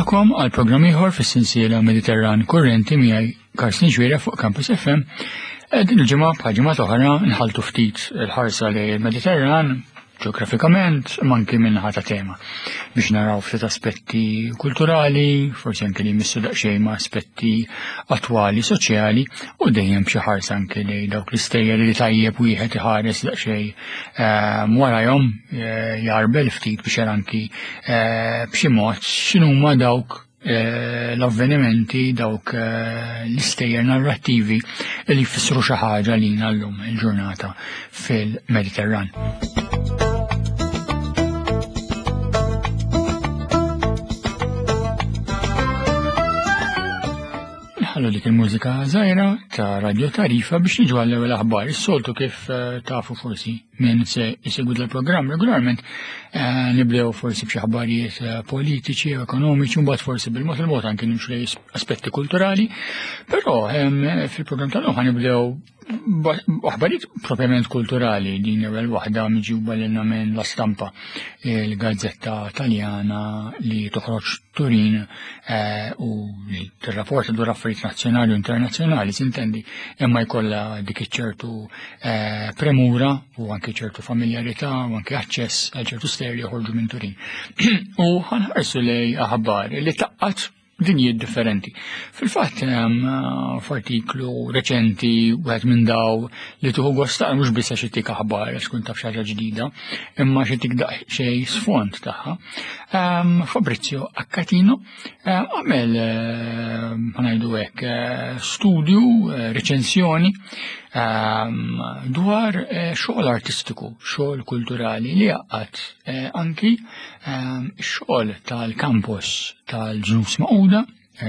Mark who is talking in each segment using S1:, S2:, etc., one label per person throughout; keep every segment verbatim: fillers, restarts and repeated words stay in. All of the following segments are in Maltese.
S1: Nilqagħkom għal programm ieħor fis-sensiela Mediterran Kurrenti miegħi Karsten Xuereb fuq Campus F M. Eh, din il-ġimgħa, bħal ġimgħa oħra, nħaltu ftit il-ħarsa lejn il-Mediterran ġeografikament, imma anki min-naħa ta' tema, biex naraw ftit aspetti kulturali, forsi anke li jmissu daqsxejn ma' aspetti attwali soċjali, u dejjem b'xi ħarsa anke li dawk l-istejjer li tajjeb wieħed iħares daqsxejn ehm, warajhom, eh, jarbel ftit biex jara anki eh, b'xi mod x'inhuma dawk eh, l-avvenimenti, dawk l-istejjer narrattivi li jfissru xi ħaġa lina llum il-ġurnata fil-Mediterran. Nħallu dik il-mużika żgħira ta' Radio Tarifa biex niġu għall-ewwel aħbar. Is-soltu, kif eh, tafu forsi min se jsegwi dal-programm regolarment, eh, nibdew forsi b'xi aħbarijiet eh, politiċi u ekonomiċi, mbagħad forsi bil-mod il-mod anke nimxu lejn aspetti kulturali, però fil-programm tal-lum nibdew aħbarijiet propjament kulturali. Din ewwel waħda miġjuba lilna minn La Stampa, il-gazzetta Taljana li toħroġ Turin eh, u li tirrapporta dwar affarijiet nazzjonali u internazzjonali, sintendi, imma jkollha dik iċ-ċertu eh, premura u anke ċertu familjarità u anke aċċess għal ċertu stejjer li joħorġu minn Turin. U ħa nħarsu lejn aħbar li tgħaqqad dinjiet differenti. Fil-fatt, f'artiklu reċenti, wieħed minn daw li tieħu gost mhux biss għax ittik aħbar, għax tkun taf xi ħaġa ġdida, imma xi tik daqsxejn sfond tagħha. Fabrizio Accatino għamel, ħa ngħidu hekk, studju, reċensjoni dwar xogħol artistiku, xogħol kulturali li jgħaqqad anki xogħol tal-campus tal-Ġnus Magħquda,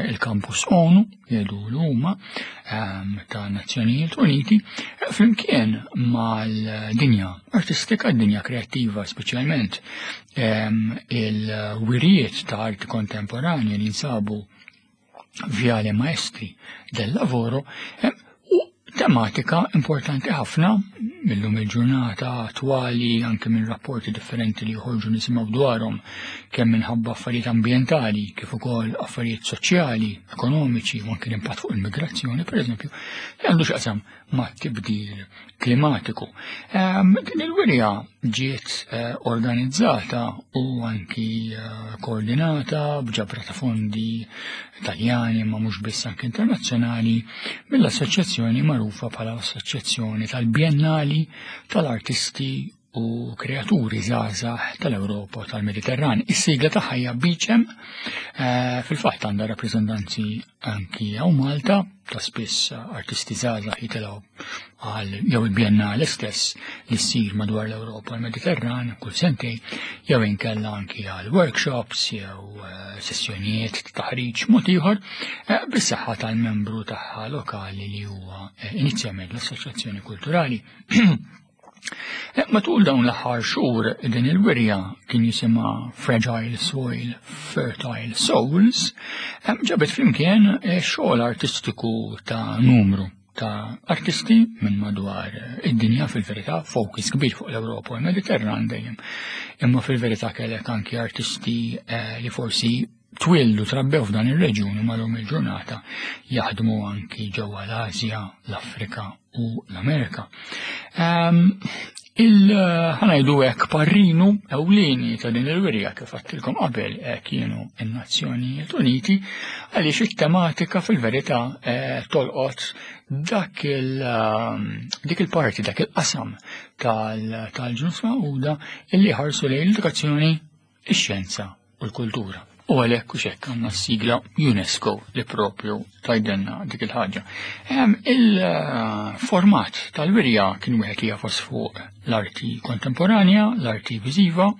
S1: il-campus ONU, jgħidu l-huma ta' Nazzjonijiet Uniti, flimkien mal-dinja artistika, dinja kreattiva, speċjalment il-wirijiet ta' arti kontemporanja li jinsabu Viale Maestri del Lavoro, u tematika importanti ħafna millum il-ġurnata attwali, anke minn rapporti differenti li joħorġu nisimgħu dwarhom, kemm minħabba affarijiet ambjentali kif ukoll affarijiet soċjali, ekonomiċi u anke l-impatt fuq il-migrazzjoni, pereżempju, li għandu x'jaqsam ma' tibdil klimatiku. Din il-wirja ġiet eh, organizzata u anki eh, koordinata b'ġabra ta' fondi Taljani, ma mhux biss, anki internazzjonali, mill-assoċjazzjoni magħrufa bħala l-Assoċjazzjoni tal-Biennali tal-Artisti u Kreaturi Żgħażagħ tal-Ewropa u tal-Mediterran. Is-sigla tagħha hija BICEM, eh, fil-fatt għandha rappreżentanzi anki hawn Malta, ta' spiss artisti żgħażagħ jitilgħu għal jew il-Biennale stess li ssir madwar l-Ewropa u l-Mediterran kull sentejn, jew inkella anki għal workshops jew eh, sessjonijiet ta' taħriġ mod ieħor eh, bis-saħħa tal-membru tagħha lokali li huwa inizjament l-Assoċjazzjoni Kulturali. Eh, matul dawn l-aħħar xhur din il-wirja, kien jisimha Fragile Soil, Fertile Souls, eh, ġabet flimkien eh, xogħol artistiku ta' numru ta' artisti minn madwar id-dinja, fil-verità focus kbir fuq l-Ewropa u l-Mediterran dejjem. Imma fil-verità kellek anki artisti li forsi twildu, trabbew f'dan ir-reġjun, imma llum il-ġurnata jaħdmu anki ġewwa l-Asja, l-Afrika u l-Amerika. Il ħa ngħidu hekk, parrinu ewlieni ta' din il-wirja, kif għedtilkom qabel, eh, kienu n-Nazzjonijiet Uniti, għaliex it-tematika fil-verità eh, tolqot dak il dik il-parti, dak il-qasam tal-Ġnus Magħquda illi ħarsu lejn l-edukazzjoni, ix-xjenza u l-kultura. U għalhekk u xek għandna s-sigla UNESCO li propju tgħidilna dik il-ħaġa. Il-format tal-wirja kien wieħed li jagħfas fuq l-arti kontemporanja, l-arti viżiva.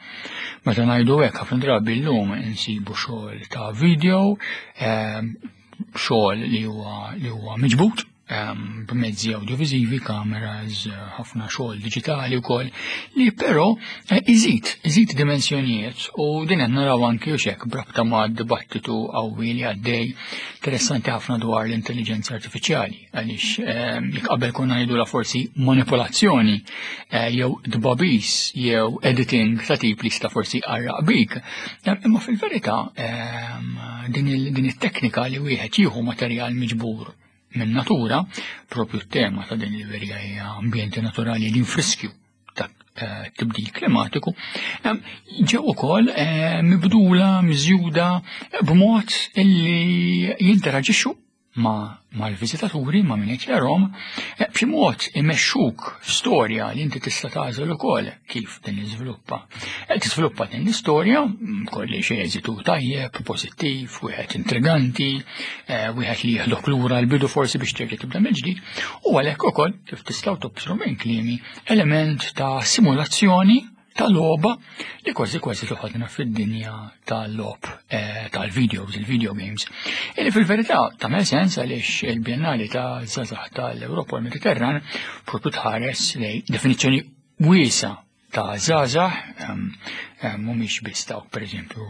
S1: Meta ngħidu hekk, ħafna drabi llum insibu xogħol ta' video, xogħol li huwa li huwa miġbut. b'mezzi audiovisivi, kameras, ħafna xogħol diġitali wkoll, li però iżid, iżid dimensjonijiet u din qed naraw anki u xek b'rabta ma' dibattitu qawwi li għaddej interessanti ħafna dwar l-intelligenza artifiċjali, għaliex jekk qabel konna ngħidulha forsi manipolazzjoni jew dbabis jew editing ta' tip li sta forsi qarraq bik, imma fil-verità din it-teknika li wieħed jieħu materjal miġbur minn natura, propju t-tema ta' din il-verja hija ambjenti naturali li friskju ta' tibdil klimatiku, ġew ukoll mibdula, miżjuda b'mod illi jinteraġixxu ma' mal-viżitaturi, ma' min qed jarahom, b'xi mod imexxuk storja li inti tista' tagħżel ukoll kif din iżviluppa. Tiżviluppa din l-istorja kolli xi eżitu tajjeb, pożittiv, wieħed intriganti, wieħed li jieħdok lura l-bidu forsi biex terġa' tibda mill-ġdid, u għalhekk ukoll kif tistgħu tobsru minn kliemi element ta' simulazzjoni ta' logħba li kważi kważi toħodna fid-dinja tal-logħob tal-videos, il-video games. Illi fil-verità tagħmel sens għaliex il-Biennali ta' Żgħażagħ tal-Ewropa u l-Mediterran propju tħares lej definizzjoni wiesa ta' żgħażagħ, mhumiex biss dawk pereżempju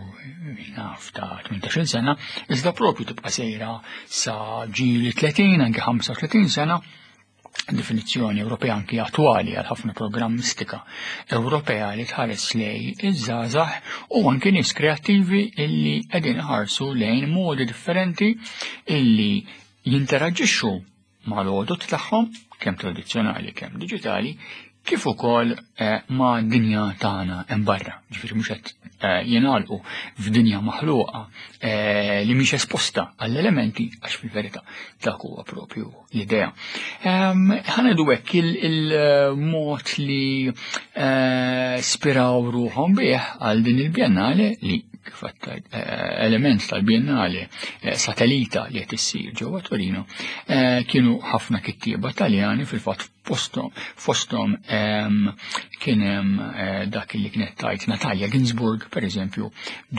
S1: naf ta' tmintax-il sena, iżda propju tibqa' sejra sa ġieli tletin, anke ħamsa u tletin sena, definizzjoni Ewropea anki attwali għal ħafna programmistika Ewropea li tħares lej iż-żgħażagħ u anki nies kreattivi illi qegħdin iħarsu lejn modi differenti illi jinteraġixxu mal-għodod tagħhom, kemm tradizzjonali kemm diġitali, kif ukoll ma' dinja tagħna hemm barra. Ġifieri mhux qed jingħalqu f'dinja maħluqa li mhix esposta għall-elementi, għax fil-verità dak huwa propju l-idea. Ħa ngħidu hekk il-mod li spiraw ruħhom bih għal din il-Biennale li kif element tal-Biennale satellita li qed issir ġewwa Torino, kienu ħafna kittieba Taljani fil-fatt fosthom kien hemm dak li kienet tajt Natalia Ginsburg pereżempju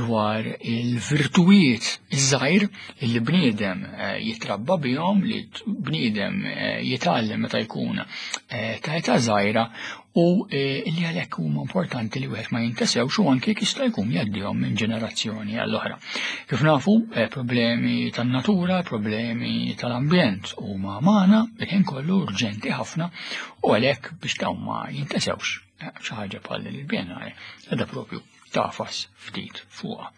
S1: dwar il-virtujiet iż-żgħir li bniedem jitrabba bihom, li bniedem jitgħallem meta jkun ta' età żgħira u li għalhekk huma importanti li wieħed ma jintesewx u anke jista' jkun jgħaddihom minn ġenerazzjoni għall-oħra. Kif nafu, problemi tan-natura, problemi tal-ambjent huma magħna il-ħin kollu urġenti ħafna u għalhekk biex dawn ma jintesewx xi ħaġa bħal din il-Biennale qiegħda propju tafas ftit fuqha.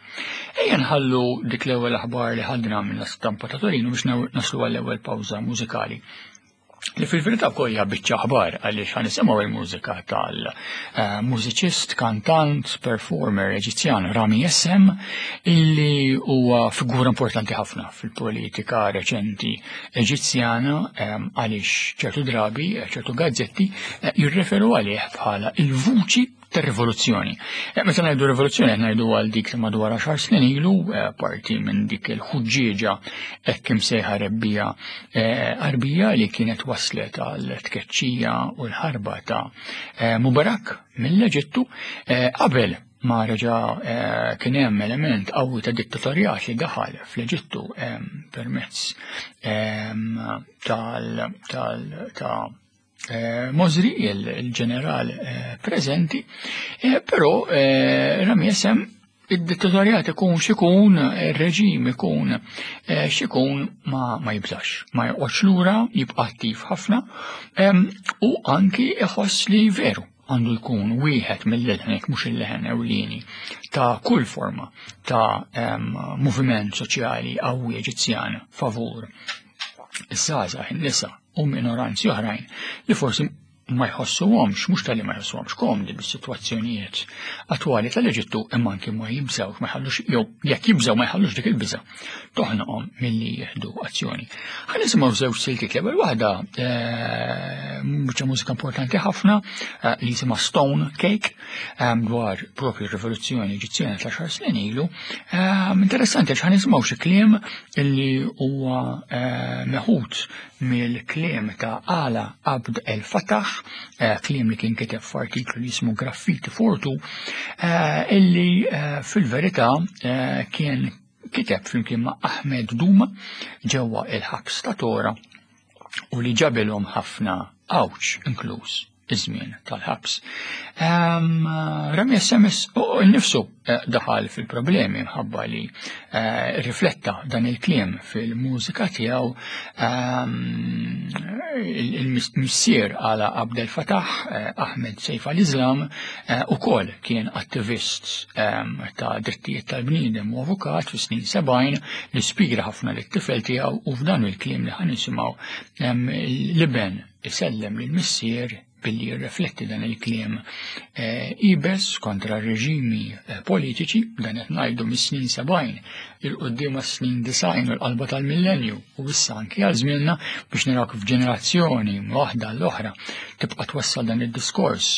S1: Ejja nħallu dik l-ewwel aħbar li ħadna mill-istampa ta' Torino biex naslu għall-ewwel pawża mużikali. Li fil-verità wkoll hija biċċa aħbar għaliex ħa nisimgħu il-mużika tal-mużiċist, kantant, performer Eġizzjan Rami Essem, illi huwa figura importanti ħafna fil-politika reċenti Eġizzjana għaliex ċertu drabi, ċertu gazzetti jirreferu għalih bħala il-vuċi tar-rivoluzzjoni. Meta ngħidu rivoluzzjoni qed ngħidu għal dik li madwar għaxar snin ilu, parti minn dik il-ħuġġieġa hekk imsejħa rebbija Arbija li kienet waslet għal tkeċċija u l-ħarba ta' Mubarak mill-Eġittu qabel ma reġa' kien hemm element qawwi ta' dittatorjat li daħal fl-Eġittu permezz tal ta' Mosri, il-ġeneral preżenti, però Rami Essem id-dittatorjat ikun xikun, il-reġim ikun xikun ma jibżax, ma joqgħodx lura, jibqa' attiv ħafna u anki iħoss li veru għandu jkun wieħed mill-leħen, jekk mhux il-leħen ewlieni ta' kull forma ta' moviment soċjali qawwi Eġizzjan favur iż-żgħażagħ, in-nisa u minoranzi oħrajn li forsi ma jħossuhomx, mhux tal-li ma jħossuhomx komdi bis-sitwazzjonijiet attwali tal-Eġittu, imma anki ma jibżgħux, ma jħallux, jew jekk jibżgħu ma jħallux dik il-biża' toħnoqhom milli jieħdu azzjoni. Ħa nisimgħu żewġ siltiet. L-ewwel waħda biċċa mużika importanti ħafna li jisimha Stone Cake dwar propju r-rivoluzzjoni Eġizzjana ta' xar snin ilu. Interessanti għax ħa nisimgħu xi kliem illi huwa meħud mill-kliem ta' Ala Abd El Fattah, kliem li kien kiteb f'artiklu li jismu Graffiti Fortu, illi fil-verità kien kiteb flimkien ma' Ahmed Duma ġewwa il-ħabs ta' Tora u li ġabilhom ħafna għawġ, inkluż iż-żmien tal-ħabs. Rami Essam nifsu eh, daħal fil-problemi mħabba li eh, rifletta dan il-kliem fil-mużika tiegħu. Il-missier Alaa Abdel Fattah, eh, Ahmed Seif al-Islam, ukoll kien attivist ta' drittijiet tal-bniedem u avukat fi snin sebgħin li spira ħafna lit-tifel tiegħu, u f'dan il-kliem li ħa nisimgħu l-iben isellem lill-missier billi jirrifletti dan il-kliem eh, iebes kontra reġimi eh, politiċi. Dan qed ngħidu mis-snin sebgħin 'il quddiem snin disgħin u l-qalba tal-millenju u issa anki għal żmienna, biex naraw kif ġenerazzjoni waħda l-oħra tibqa' twassal dan id-diskors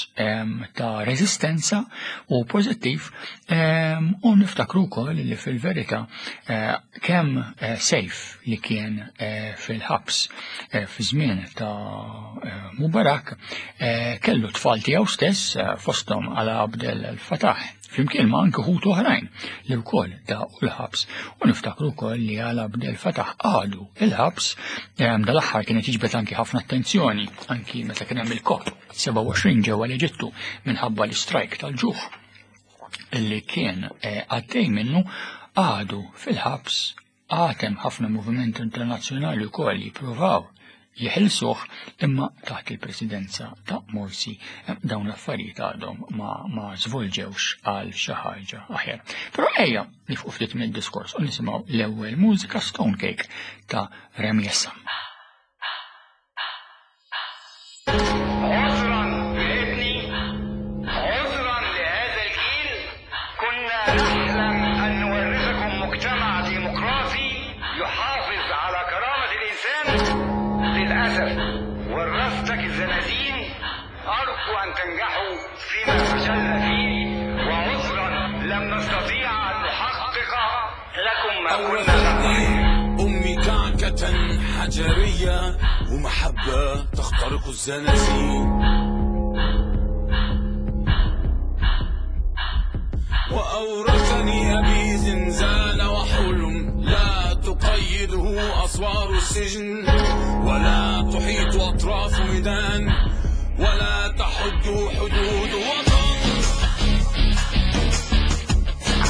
S1: ta' reżistenza u pożittiv. U niftakru wkoll li fil-verità eh, kemm Seif li kien fil-ħabs fi żmien ta' Mubarak kellu tfal tiegħu stess, fosthom Alaa Abdel Fattah, flimkien ma' anke ħutu oħrajn li wkoll daqu l-ħabs, u niftakru wkoll li Alaa Abdel Fattah għadu il-ħabs. Dal-aħħar kienet jiġbed anki ħafna attenzjoni anki meta kien hemm il-COP sebgħa u għoxrin ġewwa l-Eġittu minħabba l-istrajk tal-ġuħ illi kien eh, għaddej minnu. Għadu fil-ħabs, għad hemm ħafna movimenti internazzjonali wkoll jippruvaw jeħilsuh, imma taħt il-presidenza ta' Morsi dawn l-affarijiet għadhom ma, ma żvolġewx għal xi ħaġa aħjar. Però ejja nieqfu ftit mid-diskors u nisimgħu l-ewwel mużika, Stone Cake ta' Rami Essam.
S2: عذرا لابني، عذرا لهذا الجيل، كنا نحلم أن نورثكم مجتمع ديمقراطي يحافظ على كرامة الإنسان. للأسف ورثتك الزنازين. أرجو أن تنجحوا فيما فشلنا فيه، وعذرا لم نستطيع أن نحقق لكم ما كنا نطمح.
S3: أمي كعكة حجرية ومحبة تخترق الزنازين، وأورثني أبي زنزانة وحلم لا تقيده أسوار السجن ولا تحيط أطراف ميدان ولا تحد حدود وطن.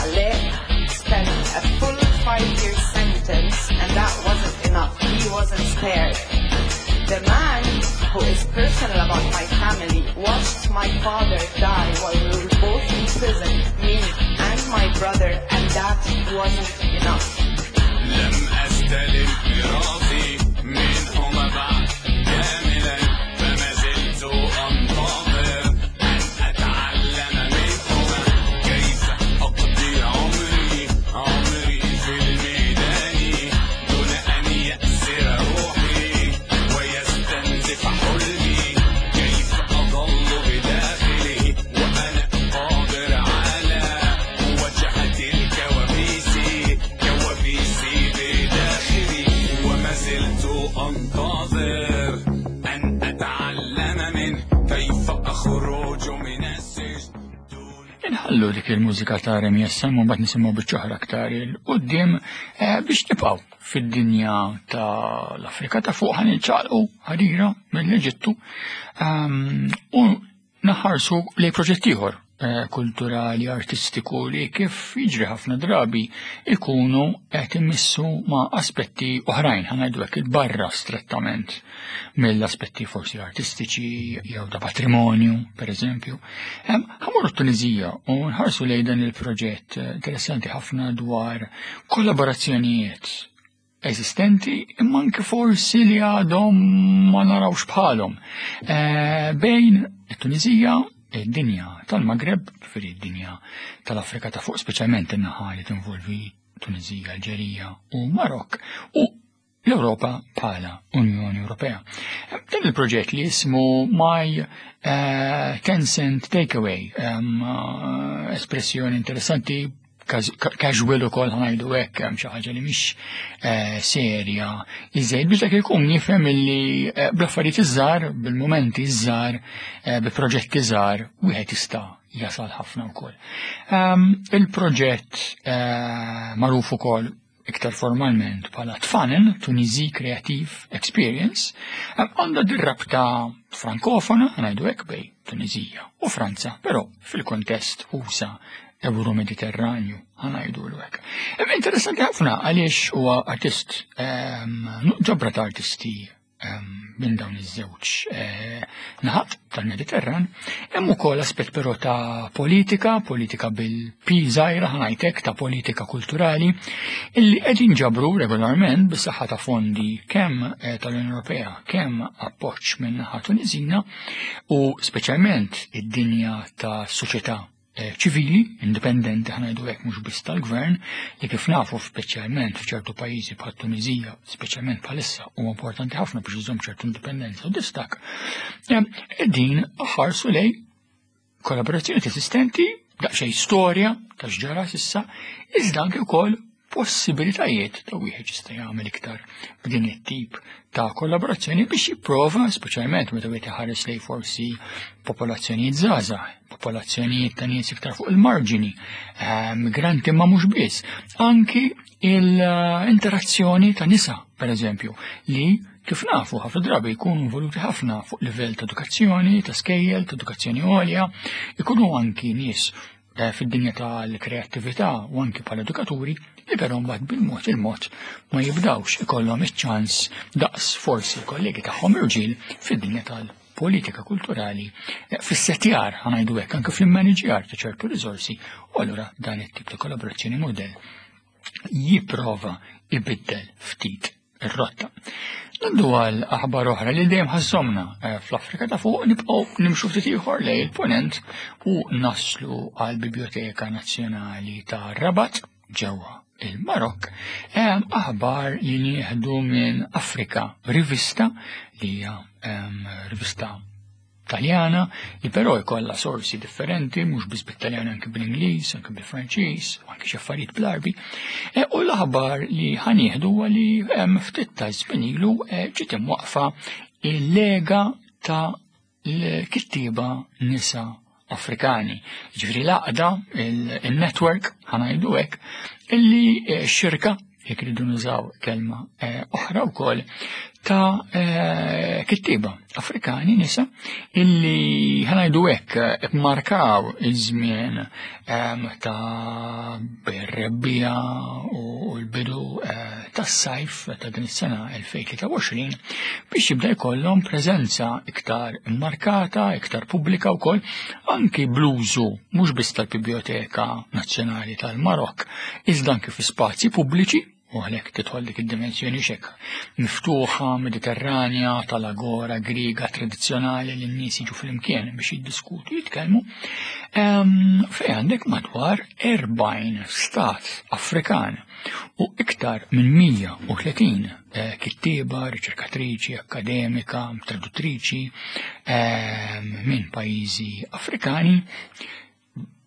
S4: Alaa spent a full five-year sentence, and that wasn't enough. He wasn't spared. The man who is personal about my family watched my father die while we were both in prison, me and my brother, and that wasn't enough.
S3: لم أستلم ميراثي منهما بعد كاملا، فما زلت أنتظر أن أتعلم منهما كيف أقضي عمري عمري في الميدان دون أن يأسر روحي ويستنزف حلمي، كيف أظل بداخله وأنا قادر على مواجهة الكوابيس، كوابيسي بداخلي، وما زلت أنتظر أن أتعلم منه كيف أخرج من السجن دون
S1: Inħallu dik il-mużika ta' Rami Essam u mbagħad nisimgħu biċċa oħra aktar 'il quddiem eh, biex nibqgħu fid-dinja ta' l-Afrika ta' fuq. Ħa niċċaqlqu ħarira mill-Eġittu ehm, u naħarsu lejn proġett ieħor eh, kulturali, artistiku li kif jiġri ħafna drabi ikunu qed imissu ma' aspetti oħrajn, ħa ngħidu hekk, barra strettament mill-aspetti forsi artistiċi jew ta' patrimonju, per eżempju. Ħa mmorru Tunizija u nħarsu lejn dan il-proġett eh, interessanti ħafna dwar kollaborazzjonijiet eżistenti imma anke forsi li għadhom ma narawx bħalhom eh, bejn it-Tunizija, id-dinja tal-Maghreb, ġifieri id-dinja tal-Afrika ta' fuq, speċjalment in-naħa li tinvolvi Tunizija, Alġerija u Marok, u l-Europa bħala Unjoni Ewropea. Dan il-proġett li jismu My uh, ten Cent Takeaway, um, uh, espressjoni interessanti, casual ukoll, ħa ngħidu hekk, hemm xi ħaġa li mhix eh, serja iżejjed biex dak ikun jifhem illi eh, bl-affarijiet iż-żgħar, bil-mumenti iż-żgħar, eh, bi proġetti żgħar, wieħed jista' jasal ħafna wkoll. Um, il-proġett magħruf ukoll iktar formalment bħala Tfanen, Tunisie Creative Experience, għandha dir-rabta frankofona, ngħidu hekk, bejn Tunizija u Franza, però fil-kontest usa Euro-Mediterranju, ħa ngħidu hekk. Interessanti ħafna għaliex huwa artist, ġabra ta' artisti minn dawn iż-żewġ eh, naħat tal-Mediterran. Hemm ukoll aspett però ta' politika, politika bil-P żgħira, ħa ngħidlek, ta' politika kulturali, illi qegħdin ġabru regolarment bis-saħħa ta' fondi kemm eh, tal-Unjoni Ewropea, kemm appoġġ minn naħa Tunisina u speċjalment id-dinja ta' soċjetà eh, ċivili, indipendenti, ħa ngħidu hekk, mhux biss tal-gvern, li kif nafu speċjalment f'ċertu pajjiżi bħal Tunizija, speċjalment bħalissa huwa importanti ħafna biex iżomm ċertu indipendenza u distak. Din ħarsu lejn kollaborazzjoni esistenti, daqsxejn storja ta' x'ġara s'issa, iżda anke wkoll possibilitajiet ta' wieħed jista' jagħmel iktar b'din it-tip ta' kollaborazzjoni biex jipprova, speċjalment meta wieħed iħares lejn forsi popolazzjonijiet żgħażagħ, popolazzjonijiet ta' nies iktar fuq il-marġini, eh, migranti ma mhux biss, anki l-interazzjoni ta' nisa, per eżempju, li kif nafu ħafna drabi jkunu involuti ħafna fuq livell ta' edukazzjoni, ta' skejjel, ta' edukazzjoni għolja, ikunu anki nies eh, fid-dinja tal-kreattività u anki bħala edukaturi li però mbagħad bil-mod il-mod ma jibdawx ikollhom iċ-ċans daqs forsi kollegi tagħhom irġiel fid-dinja tal-politika kulturali, eh, fis-setjar, ħa ngħidu hekk, anke fil-maniġjar ta' ċertu riżorsi, u allura dan it-tip ta' kollaborazzjoni model jipprova ibiddel ftit ir-rotta. Ngħaddu għal aħbar oħra li dejjem ħassomna eh, fl-Afrika ta' fuq, nibqgħu nimxu ftit ieħor lejn il-ponent u naslu għal Biblioteka Nazzjonali ta' Rabat ġewwa il-Marok. Hemm aħbar li nieħdu minn Afrika, rivista li hija em, rivista Taljana li però jkollha sorsi differenti, mhux biss bit-Taljan, anke bl-Ingliż, anke bil-Franċiż, u anke xi affarijiet bl-Arbi. E, u l-aħbar li ħa nieħdu huwa li hemm ftit ta' żmien ilu e, ġiet imwaqfa il-Lega ta' l-kittieba nisa Afrikani. Ġifieri l-għaqda, il-network, ħa ngħidu hekk, illi eh, xirka, jekk ridu nużaw kelma eh, oħra wkoll, ta' eh, kittieba Afrikani nisa illi, ħa ngħidu hekk, markaw iż-żmien em, ta' bir-rebbiegħa u l-bidu eh, tas-sajf ta' din is-sena elfejn u tlieta u għoxrin biex jibda jkollhom preżenza iktar immarkata, iktar pubblika wkoll, anki bl-użu mhux biss tal-Biblioteka Nazzjonali tal-Marok, iżda anki fi spazji pubbliċi, u għalhekk tidħol dik id-dimensjoni xek miftuħa, Mediterranja, tal-agora Griega tradizzjonali li n-nies jiġu flimkien biex jiddiskutu, jitkellmu, Em, Fejn għandek madwar erbgħin stat Afrikan u iktar minn mija u tletin eh, kittieba, riċerkatriċi, akademika, traduttriċi em, minn pajjiżi Afrikani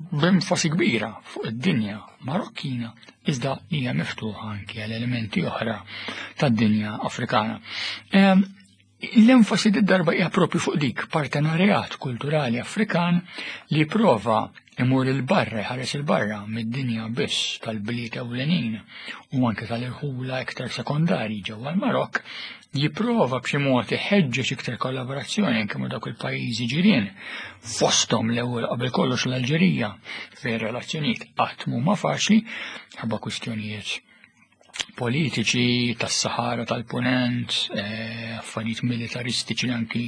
S1: b'enfasi kbira fuq id-dinja Marokkina, iżda hija miftuħa anki għal elementi oħra tad-dinja Afrikana. Em, L-enfasi d-darba hija propju fuq dik partenarjat kulturali Afrikan li prova imur il-barra, ħares il-barra mid-dinja biss tal-bliet ewlenin u anke tal-irħula iktar sekondari ġewwa l-Marok, jipprova b'xi mod iħeġġeġ iktar kollaborazzjoni anke ma' dawk il-pajjiżi ġirien, fosthom l-ewwel qabel kollox l-Alġerija, fejn relazzjonijiet qatt mhuma faċli ħabba kwistjonijiet politiċi tas-Sahara tal-Punent, eh, affarijiet militaristiċi li anki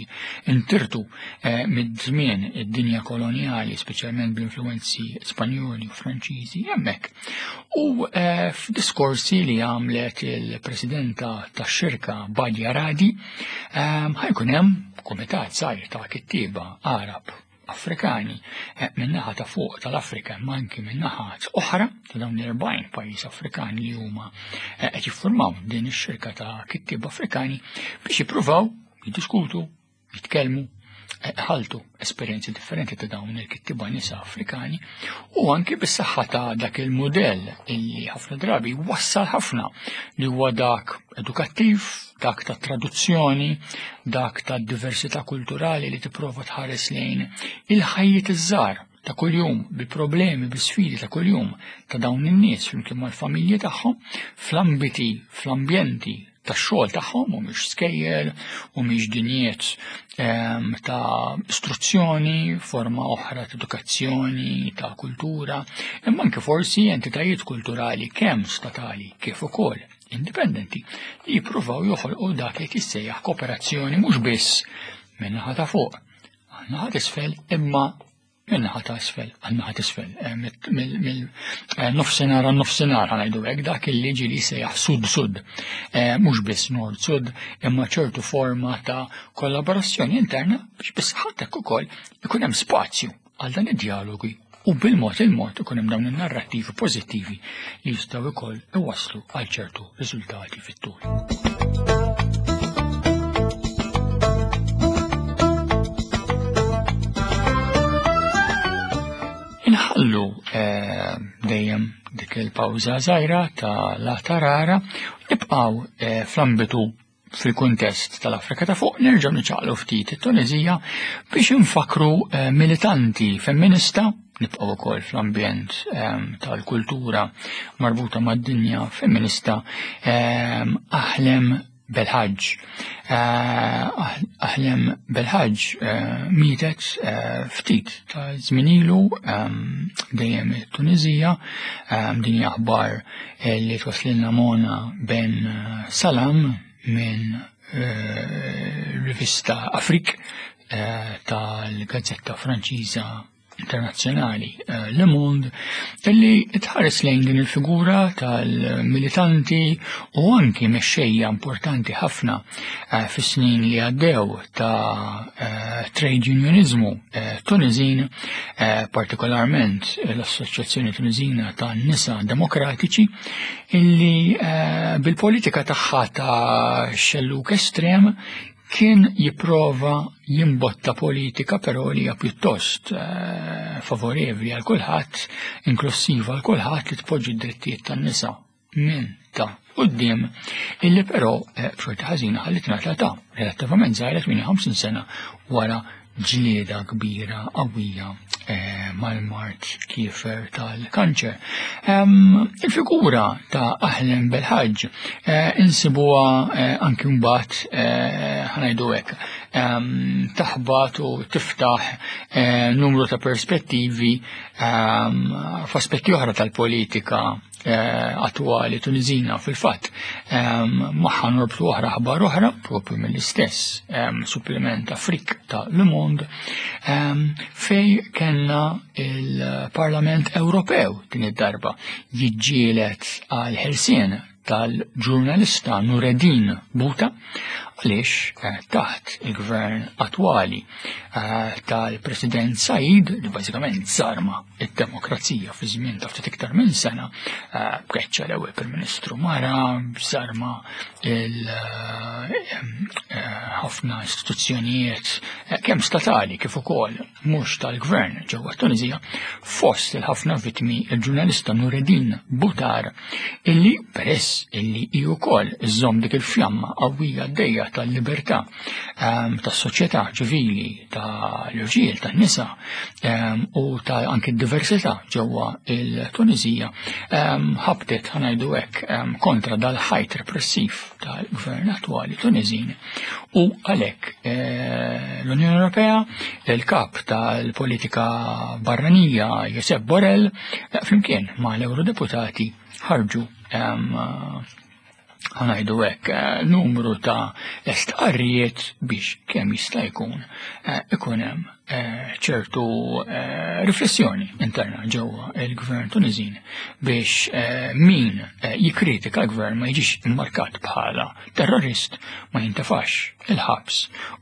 S1: intirtu eh, mid-żmien id-dinja koloniali, speċjalment bl-influenzi Spanjoli u Franċiżi hemmhekk. U eh, f'diskorsi li għamlet il-presidenta tax-xirka Badia Radi, eh, ħa jkun hemm kumitat żgħir ta' kittieba Arab Afrikani eh, min-naħa ta' fuq tal-Afrika ma anki min-naħa oħra ta' dawn l-erbgħin pajjiż Afrikani li huma eh, qed jiffurmaw din ix-xirka ta' kittieba Afrikani biex jippruvaw jiddiskutu, jitkellmu, eh, ħaltu esperjenzi differenti ta' dawn il-kittieba nisa Afrikani u anki bis-saħħa ta' dak il-modell illi ħafna drabi wassal ħafna, li huwa dak edukattiv, dak ta' traduzzjoni, dak ta' diversità kulturali li tipprova tħares lejn il-ħajjiet iż-żgħar ta' kuljum, bil-problemi, bil-sfidi ta' kuljum ta' dawn in-nies flimkien mal-familji tagħhom, fl-ambiti, fl-ambjenti tax-xogħol tagħhom, u mhix skejjel u mhix dinjiet ehm, ta' istruzzjoni, forma oħra ta' edukazzjoni, ta' kultura, imma anke forsi entitajiet kulturali kemm statali kif ukoll indipendenti li jippruvaw joħolqu dak li tissejjaħ kooperazzjoni mhux biss min-naħa ta' fuq għan-naħa t'isfel, imma min-naħa ta' isfel għan-naħa t'isfel, mill-nofsinhar għan-nofsinhar, ħa ngħidu hekk, dak li ġieli sejjaħ sud-sud, mhux biss nord-sud, imma ċertu forma ta' kollaborazzjoni interna biex biss ħadd ukoll ikun hemm spazju għal dan id-dialogi u bil-mod il-mod ikun hemm dawn in-narrattivi pożittivi li jistgħu wkoll iwasslu għal ċertu riżultati fit-tul. Inħallu eh, dejjem dik il-pawża żgħira ta' la tarara, nibqgħu eh, fl-ambitu fil-kuntest tal-Afrika ta' fuq, nerġgħu niċaqlu ftit it-Tunizija biex infakru eh, militanti femminista, nibqgħu wkoll fl-ambjent tal-kultura marbuta mad-dinja femminista, Ahlem Belħaġ. Ahlem Belħaġ mietet ftit ta' żmien ilu dejjem it-Tunizija, din hija aħbar li twaslilna Mona Ben Salam minn rivista Afrik tal-Gazzetta Franċiża Internazzjonali Le Monde, illi tħares lejn din il-figura tal-militanti u anki mexxejja importanti ħafna fis-snin li għaddew ta' trade unionizmu Tunizin, partikolarment l-Assoċjazzjoni Tunizina ta' Nisa Demokratiċi, illi bil-politika tagħha ta' xelluk estrem kien jipprova jimbotta politika però li hija pjuttost eh, favorevoli għal kulħadd, inklusiva għal kulħadd, li tpoġġi d-drittijiet tan-nisa minn ta' quddiem, illi però eh, b'xorti ħażina ħallit ngħata ta' relattivament żgħira tmienja u ħamsin sena wara ġlieda kbira qawwija eh, mal-mard kiefer tal-kanċer. Il-figura ta' Ahlem Belħaġ eh, insibuha eh, anki mbagħad ħa ngħidu hekk taħbat u tiftaħ numru ta' perspettivi f'aspetti oħra tal-politika attwali Tunizina. Fil-fatt magħha norbtu oħra aħbar oħra propju mill-istess supplement Afrik ta' Le Monde, fej kellna il-Parlament Ewropew din id-darba jiġġieled għal ħelsien tal-ġurnalista Nureddin Buta, għaliex taħt il-gvern attwali tal-President Said, li bażikament żarma id-demokrazija fi żmien ta' ftit iktar minn sena, bkeċċa l-ewwel Prim Ministru mara, żarma ħafna istituzzjonijiet kemm statali kif ukoll mhux tal-gvern ġewwa Tunizija, fost il-ħafna vittmi il-ġurnalista Nureddin Butar, illi peress illi hi wkoll iżżomm dik il-fjamma qawwija għaddejja tal-libertà tas-soċjetà ċivili, tal-irġiel, tan-nisa u ta' anke d-diversità ġewwa il-Tunizija, ħabtet ħa ngħidu hekk kontra dal-ħajt repressiv tal-gvern attwali Tunizin, u għalhekk l-Unjoni Ewropea, il-kap tal-politika barranija Josep Borrell, flimkien ma' l-Eurodeputati ħarġu ħa ngħidu hekk numru ta' stqarrijiet biex kemm jista' jkun ikun hemm ċertu riflessjoni interna ġewwa il-gvern Tunizin biex min jikkritika l-gvern ma jiġix immarkat bħala terrorist, ma jintefax il-ħabs,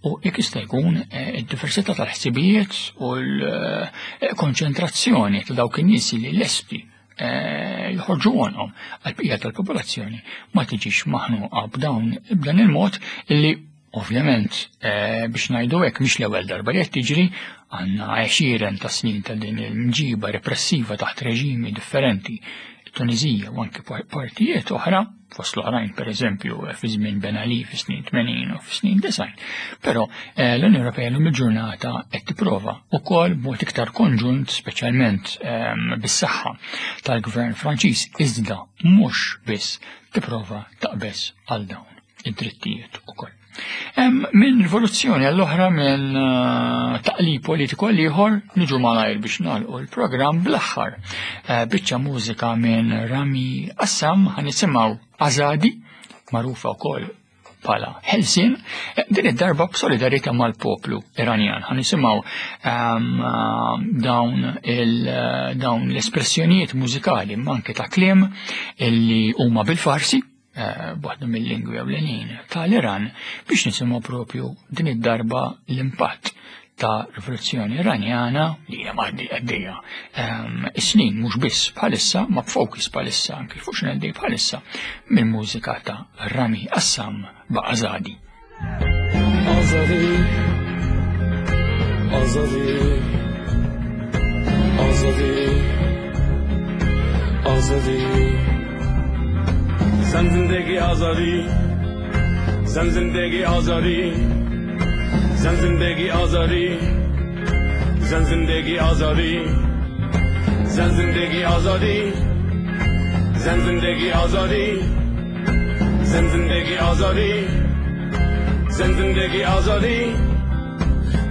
S1: u jekk jista' jkun id-diversità tal-ħsibijiet u l-konċentrazzjoni ta' dawk in-nies li lesti joħorġu għonhom għal-bqija tal-popolazzjoni ma tiġix maħnuqa b'dawn b'dan il-mod, illi ovvjament biex ngħidu hekk mhix l-ewwel darba li qed tiġri, għandna għexieren ta' snin ta' din il-mġiba repressiva taħt reġimi differenti, Tunizija u anke partijiet oħra, fost l-oħrajn, per eżempju, fi żmien Ben Ali fi snin tmenin u fi snin disgħin. Però eh, l-Unjoni Ewropea llum il-ġurnata qed tipprova wkoll b'mod iktar konġunt, speċjalment ehm, bis-saħħa tal-Gvern Franċiż, iżda mhux biss, tipprova taqbeż għal dawn id-drittijiet ukoll. Minn rivoluzzjoni għall-oħra, minn eh, taqlib politiku għal ieħor, niġu malajr biex nagħlqu l-programm bl-aħħar eh, biċċa mużika minn Rami Assam. Ħa nisimgħu Azadi, magħrufa wkoll bħala Ħelsien, eh, din id-darba b'solidarjetà mal-poplu Iranjan. Ħa nisimgħu dawn dawn l-espressjonijiet mużikali, anke ta' kliem illi huma bil-Farsi, Eh, waħda mill-lingwi ewlenin tal-Iran, biex nisimgħu propju din id-darba l-impatt ta' rivoluzzjoni Iranjana li hija għaddejja ehm, is-snin, mhux biss bħalissa, ma b'fokus bħalissa anke fuq x'għaddej bħalissa, mill-mużika ta' Rami Assam b'Azadi.
S5: Azadi, Azadi, Azadi, Azadi. زن زندگی آزادی، زن زندگی آزادی، زن زندگی آزادی، زن زندگی آزادی، زن زندگی آزادی، زن زندگی آزادی، زن زندگی آزادی، زن زندگی آزادی.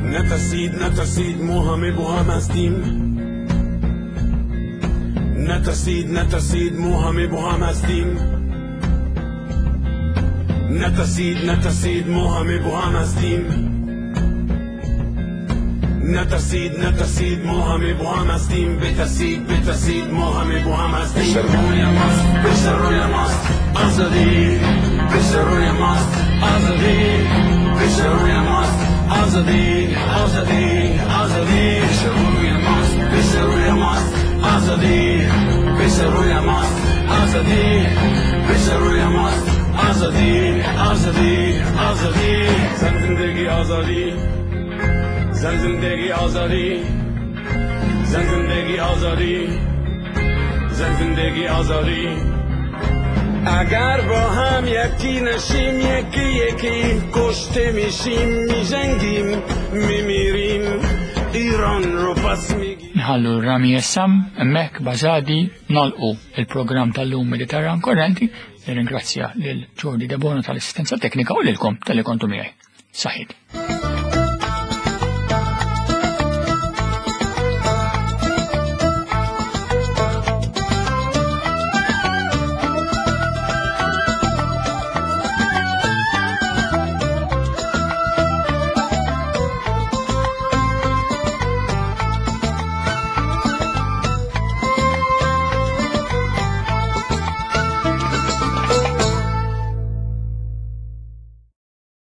S5: نترسید، نترسید، ما همه با هم هستیم. نترسید، نترسید، ما همه با هم هستیم. نترسید، نترسید، ما همه با هم هستیم. نترسید، نترسید، ما همه با هم هستیم. بترسید، بترسید، ما همه با هم هستیم. پشت روی ماست، پشت روی ماست آزادی، پشت روی ماست آزادی، پشت روی ماست آزادی، آزادی، آزادی. پشت روی ماست، پشت روی ماست آزادی، پشت روی ماست آزادی، پشت روی ماست آزادی، آزادی، آزادی. زن زندگی آزادی، زن زندگی آزادی، زن زندگی آزادی، زن زندگی آزادی. اگر با هم یکی نشیم، یکی یکی کشته میشیم. میجنگیم، میمیریم، ایران رو پس میگیریم.
S1: Nħallu Rami Essam hemmhekk b'Azadi, nagħlqu il-programm tal-lum Mediterran Korrenti. Nirringrazzja lil Jordi Debono tal-assistenza teknika u lilkom talli kontu miegħi. Saħħiet.